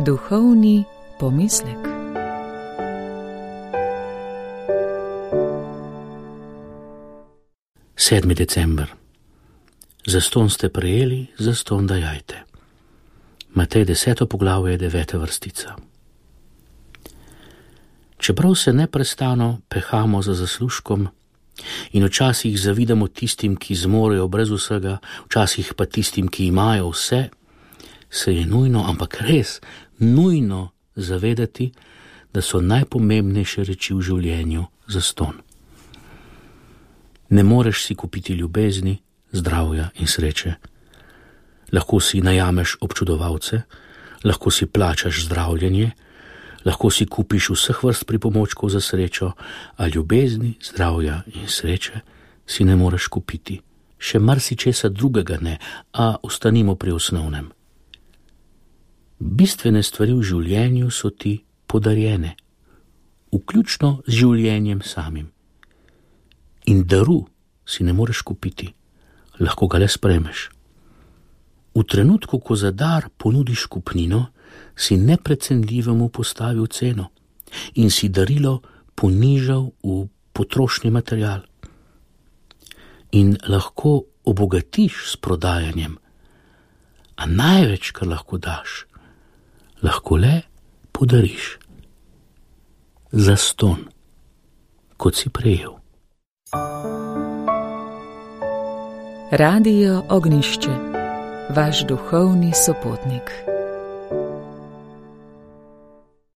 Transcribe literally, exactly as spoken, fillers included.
Duhovni pomislek. sedmi december. Zastonj ste prejeli, zastonj dajajte. Matej deseto poglavje, deveta vrstica. Čeprav se neprestano pehamo za zaslužkom in včasih zavidamo tistim, ki zmorejo brez vsega, včasih pa tistim, ki imajo vse, se je nujno, ampak res nujno zavedati, da so najpomembnejše reči v življenju zastonj. Ne moreš si kupiti ljubezni, zdravja in sreče. Lahko si najameš občudovalce, lahko si plačaš zdravljenje, lahko si kupiš vseh vrst pripomočkov za srečo, a ljubezni, zdravja in sreče si ne moreš kupiti. Še marsičesa drugega ne, a ostanimo pri osnovnem. Bistvene stvari v življenju so ti podarjene, vključno z življenjem samim. In daru si ne moreš kupiti, lahko ga le sprejmeš. V trenutku, ko za dar ponudiš kupnino, si neprecenljivemu postavil ceno in si darilo ponižal v potrošni material. In lahko obogatiš s prodajanjem, a največ, kar lahko daš, lahko le podariš. Zastonj, kot si prejel. Radio Ognjišče, vaš duhovni sopotnik.